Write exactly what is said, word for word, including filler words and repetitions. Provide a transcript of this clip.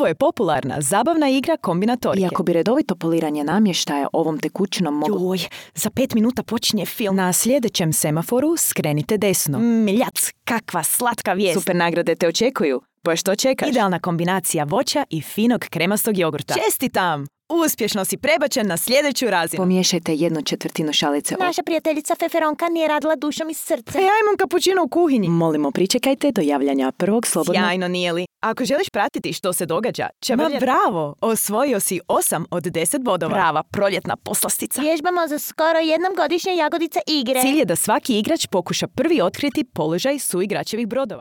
Ovo je popularna zabavna igra kombinatorike. Iako bi redovito poliranje namještaja ovom tekućinom moglo... Joj, za pet minuta počinje film. Na sljedećem semaforu skrenite desno. Mljac, kakva slatka vijest. Super nagrade te očekuju. Pa što čekaš? Idealna kombinacija voća i finog kremastog jogurta. Čestitam! Uspješno si prebačen na sljedeću razinu. Pomiješajte jednu četvrtinu šalice. Naša prijateljica Feferonka nije radila dušom iz srca. E, ja imam kapućino u kuhinji. Molimo, pričekajte do javljanja prvog slobodnog... Sjajno, nije li? Ako želiš pratiti što se događa, Ma bravo! Osvojio si osam od deset bodova. Prava proljetna poslastica. Vježbamo za skoro jednom godišnje jagodice igre. Cilj je da svaki igrač pokuša prvi otkriti položaj suigračevih brodova.